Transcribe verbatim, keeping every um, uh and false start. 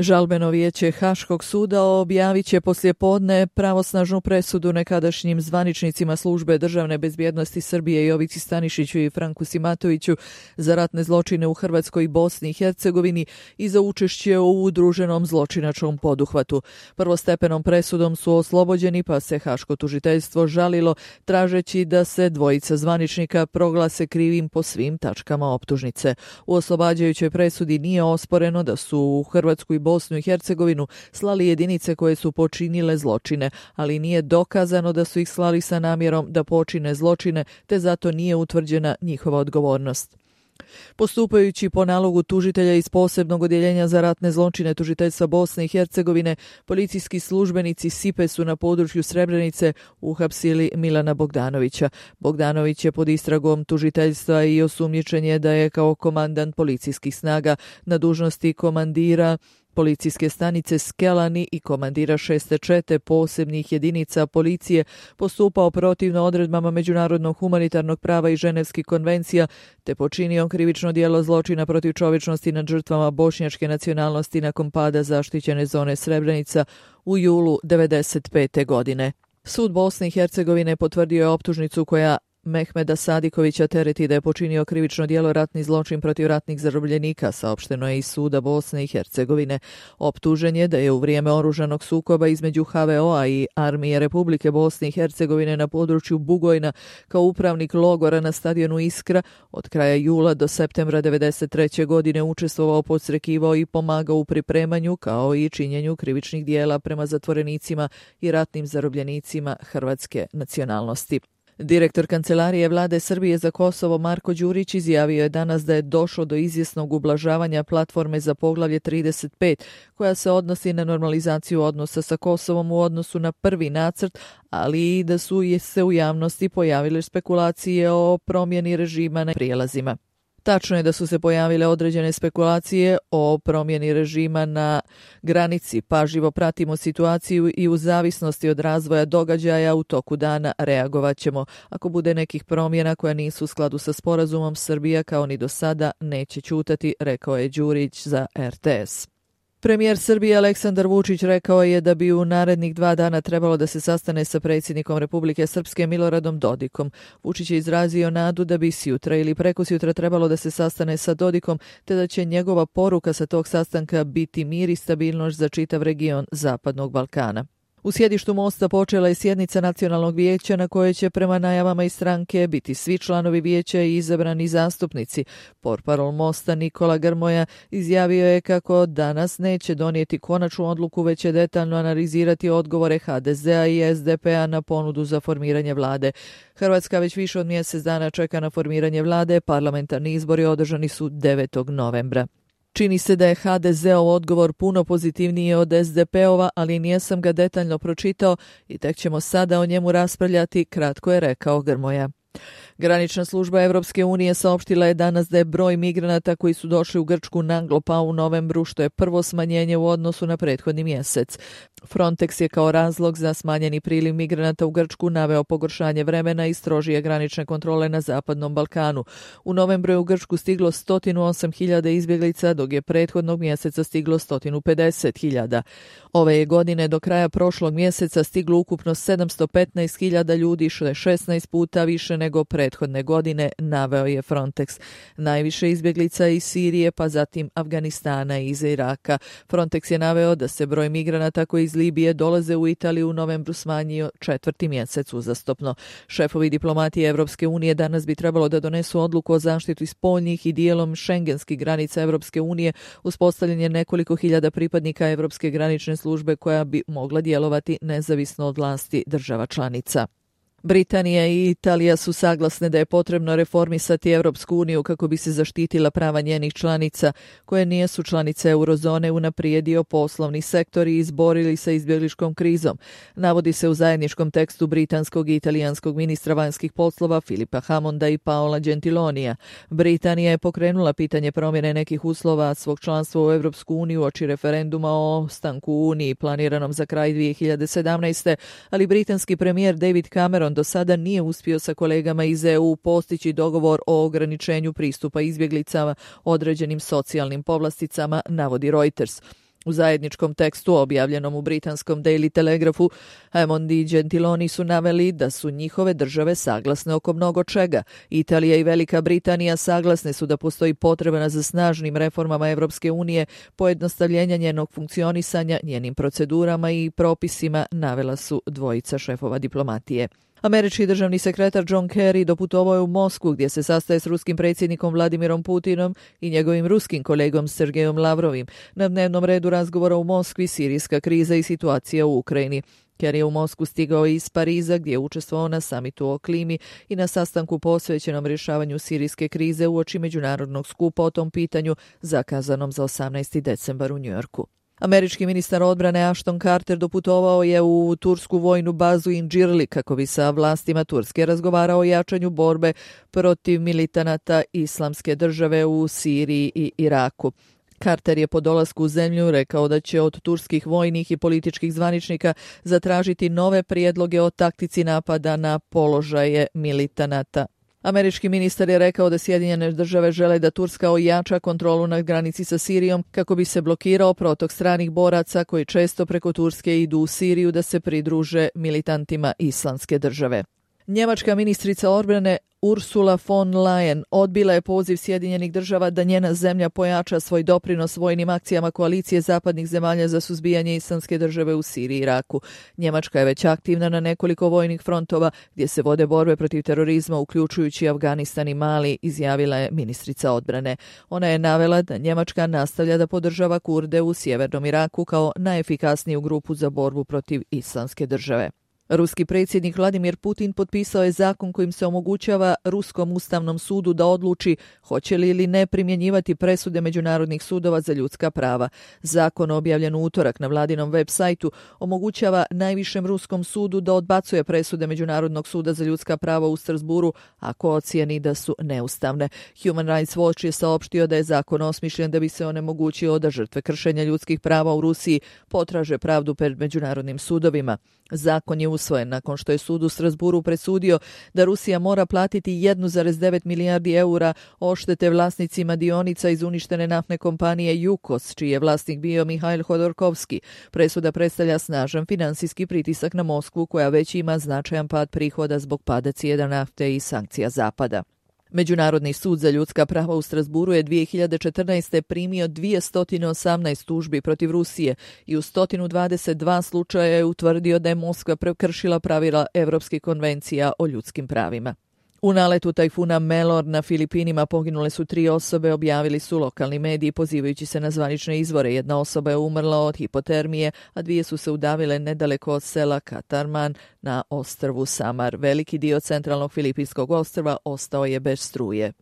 Žalbeno vijeće Haškog suda objavit će poslijepodne pravosnažnu presudu nekadašnjim zvaničnicima službe državne bezbjednosti Srbije Jovici Stanišiću i Franku Simatoviću za ratne zločine u Hrvatskoj i Bosni i Hercegovini i za učešće u udruženom zločinačkom poduhvatu. Prvostepenom presudom su oslobođeni, pa se Haško tužiteljstvo žalilo tražeći da se dvojica zvaničnika proglase krivim po svim tačkama optužnice. U oslobađajućoj presudi nije osporeno da su u Hrvatsku i Bosnu i Hercegovinu slali jedinice koje su počinile zločine, ali nije dokazano da su ih slali sa namjerom da počine zločine, te zato nije utvrđena njihova odgovornost. Postupajući po nalogu tužitelja iz posebnog odjeljenja za ratne zločine tužiteljstva Bosne i Hercegovine, policijski službenici SIPE su na području Srebrenice uhapsili Milana Bogdanovića. Bogdanović je pod istragom tužiteljstva i osumnjičen je da je kao komandant policijskih snaga na dužnosti komandira policijske stanice Skelani i komandira šeste čete posebnih jedinica policije postupao protivno odredbama međunarodnog humanitarnog prava i ženevskih konvencija, te počinio krivično djelo zločina protiv čovječnosti nad žrtvama bošnjačke nacionalnosti nakon pada zaštićene zone Srebrenica u julu devedeset pete. godine. Sud Bosne i Hercegovine potvrdio je optužnicu koja Mehmeda Sadikovića tereti da je počinio krivično djelo ratni zločin protiv ratnih zarobljenika, saopšteno je iz suda Bosne i Hercegovine. Optužen je da je u vrijeme oružanog sukoba između H V O-a i Armije Republike Bosne i Hercegovine na području Bugojna kao upravnik logora na stadionu Iskra od kraja jula do septembra devedeset treće. godine učestvovao, podsrekivao i pomagao u pripremanju kao i činjenju krivičnih djela prema zatvorenicima i ratnim zarobljenicima hrvatske nacionalnosti. Direktor Kancelarije Vlade Srbije za Kosovo Marko Đurić izjavio je danas da je došlo do izvjesnog ublažavanja platforme za poglavlje trideset pet, koja se odnosi na normalizaciju odnosa sa Kosovom u odnosu na prvi nacrt, ali i da su se u javnosti pojavile spekulacije o promjeni režima na prijelazima. Tačno je da su se pojavile određene spekulacije o promjeni režima na granici. Pažljivo pratimo situaciju i u zavisnosti od razvoja događaja u toku dana reagovat ćemo. Ako bude nekih promjena koja nisu u skladu sa sporazumom, Srbija kao ni do sada neće ćutati, rekao je Đurić za R T S. Premijer Srbije Aleksandar Vučić rekao je da bi u narednih dva dana trebalo da se sastane sa predsjednikom Republike Srpske Miloradom Dodikom. Vučić je izrazio nadu da bi sjutra ili prekosjutra trebalo da se sastane sa Dodikom, te da će njegova poruka sa tog sastanka biti mir i stabilnost za čitav region Zapadnog Balkana. U sjedištu Mosta počela je sjednica Nacionalnog vijeća na kojoj će prema najavama iz stranke biti svi članovi vijeća i izabrani zastupnici. Portparol Mosta Nikola Grmoja izjavio je kako danas neće donijeti konačnu odluku, već će detaljno analizirati odgovore H D Z-a i S D P-a na ponudu za formiranje vlade. Hrvatska već više od mjesec dana čeka na formiranje vlade, parlamentarni izbori održani su devetog novembra. Čini se da je H D Z-ov odgovor puno pozitivniji od S D P-ova, ali nijesam ga detaljno pročitao i tek ćemo sada o njemu raspravljati, kratko je rekao Grmoja. Granična služba Evropske unije saopštila je danas da je broj migranata koji su došli u Grčku naglo pao u novembru, što je prvo smanjenje u odnosu na prethodni mjesec. Frontex je kao razlog za smanjeni priliv migranata u Grčku naveo pogoršanje vremena i strožije granične kontrole na Zapadnom Balkanu. U novembru je u Grčku stiglo sto osam hiljada izbjeglica, dok je prethodnog mjeseca stiglo sto pedeset hiljada. Ove je godine do kraja prošlog mjeseca stiglo ukupno sedamsto petnaest hiljada ljudi, što je šesnaest puta više nego prethodne godine, naveo je Frontex. Najviše izbjeglica iz Sirije, pa zatim Afganistana i iz Iraka. Frontex je naveo da se broj migranata koji iz Libije dolaze u Italiju u novembru smanjio četvrti mjesec uzastopno. Šefovi diplomatije Evropske unije danas bi trebalo da donesu odluku o zaštiti spoljnih i dijelom šengenskih granica Evropske unije, uspostavljanje nekoliko hiljada pripadnika Evropske granične službe koja bi mogla djelovati nezavisno od vlasti država članica. Britanija i Italija su saglasne da je potrebno reformisati Evropsku uniju kako bi se zaštitila prava njenih članica koje nisu članice eurozone, unaprijedio poslovni sektor i izborili sa izbjegličkom krizom. Navodi se u zajedničkom tekstu britanskog i italijanskog ministra vanjskih poslova Filipa Hammonda i Paola Gentilonija. Britanija je pokrenula pitanje promjene nekih uslova svog članstva u Evropsku uniju oči referenduma o ostanku u Uniji planiranom za kraj dvije hiljade sedamnaeste. ali britanski premijer David Cameron do sada nije uspio sa kolegama iz E U postići dogovor o ograničenju pristupa izbjeglicama određenim socijalnim povlasticama, navodi Reuters. U zajedničkom tekstu objavljenom u britanskom Daily Telegraphu, Hammond i Gentiloni su naveli da su njihove države saglasne oko mnogo čega. Italija i Velika Britanija saglasne su da postoji potreba za snažnim reformama Evropske unije, pojednostavljenja njenog funkcionisanja, njenim procedurama i propisima, navela su dvojica šefova diplomatije. Američki državni sekretar John Kerry doputovao je u Moskvu gdje se sastaje s ruskim predsjednikom Vladimirom Putinom i njegovim ruskim kolegom Sergejom Lavrovim. Na dnevnom redu razgovora u Moskvi sirijska kriza i situacija u Ukrajini. Kerry je u Moskvu stigao iz Pariza gdje je učestvovao na samitu o klimi i na sastanku posvećenom rješavanju sirijske krize uoči međunarodnog skupa o tom pitanju zakazanom za osamnaesti decembar u Njujorku. Američki ministar odbrane Ashton Carter doputovao je u tursku vojnu bazu Inđirli kako bi sa vlastima Turske razgovarao o jačanju borbe protiv militanata Islamske države u Siriji i Iraku. Carter je po dolasku u zemlju rekao da će od turskih vojnih i političkih zvaničnika zatražiti nove prijedloge o taktici napada na položaje militanata. Američki ministar je rekao da Sjedinjene države žele da Turska ojača kontrolu na granici sa Sirijom kako bi se blokirao protok stranih boraca koji često preko Turske idu u Siriju da se pridruže militantima Islamske države. Njemačka ministrica odbrane Ursula von Leyen odbila je poziv Sjedinjenih država da njena zemlja pojača svoj doprinos vojnim akcijama koalicije zapadnih zemalja za suzbijanje Islamske države u Siriji i Iraku. Njemačka je već aktivna na nekoliko vojnih frontova gdje se vode borbe protiv terorizma, uključujući Afganistan i Mali, izjavila je ministrica odbrane. Ona je navela da Njemačka nastavlja da podržava Kurde u sjevernom Iraku kao najefikasniju grupu za borbu protiv Islamske države. Ruski predsjednik Vladimir Putin potpisao je zakon kojim se omogućava Ruskom ustavnom sudu da odluči hoće li ili ne primjenjivati presude međunarodnih sudova za ljudska prava. Zakon objavljen u utorak na vladinom web sajtu omogućava najvišem Ruskom sudu da odbacuje presude Međunarodnog suda za ljudska prava u Strasburu ako ocijeni da su neustavne. Human Rights Watch je saopštio da je zakon osmišljen da bi se onemogućio da žrtve kršenja ljudskih prava u Rusiji potraže pravdu pred međunarodnim sudovima. Zakon je usvojen nakon što je sud u Strasburu presudio da Rusija mora platiti jedan zarez devet milijardi eura odštete vlasnicima dionica iz uništene naftne kompanije Jukos, čiji je vlasnik bio Mihail Hodorkovski. Presuda predstavlja snažan finansijski pritisak na Moskvu koja već ima značajan pad prihoda zbog pada cijena nafte i sankcija Zapada. Međunarodni sud za ljudska prava u Strasburu je dvije hiljade četrnaeste. primio dvjesto osamnaest tužbi protiv Rusije i u sto dvadeset dva slučaja je utvrdio da je Moskva prekršila pravila Evropskih konvencija o ljudskim pravima. U naletu tajfuna Melor na Filipinima poginule su tri osobe, objavili su lokalni mediji pozivajući se na zvanične izvore. Jedna osoba je umrla od hipotermije, a dvije su se udavile nedaleko od sela Katarman na ostrvu Samar. Veliki dio centralnog filipinskog ostrva ostao je bez struje.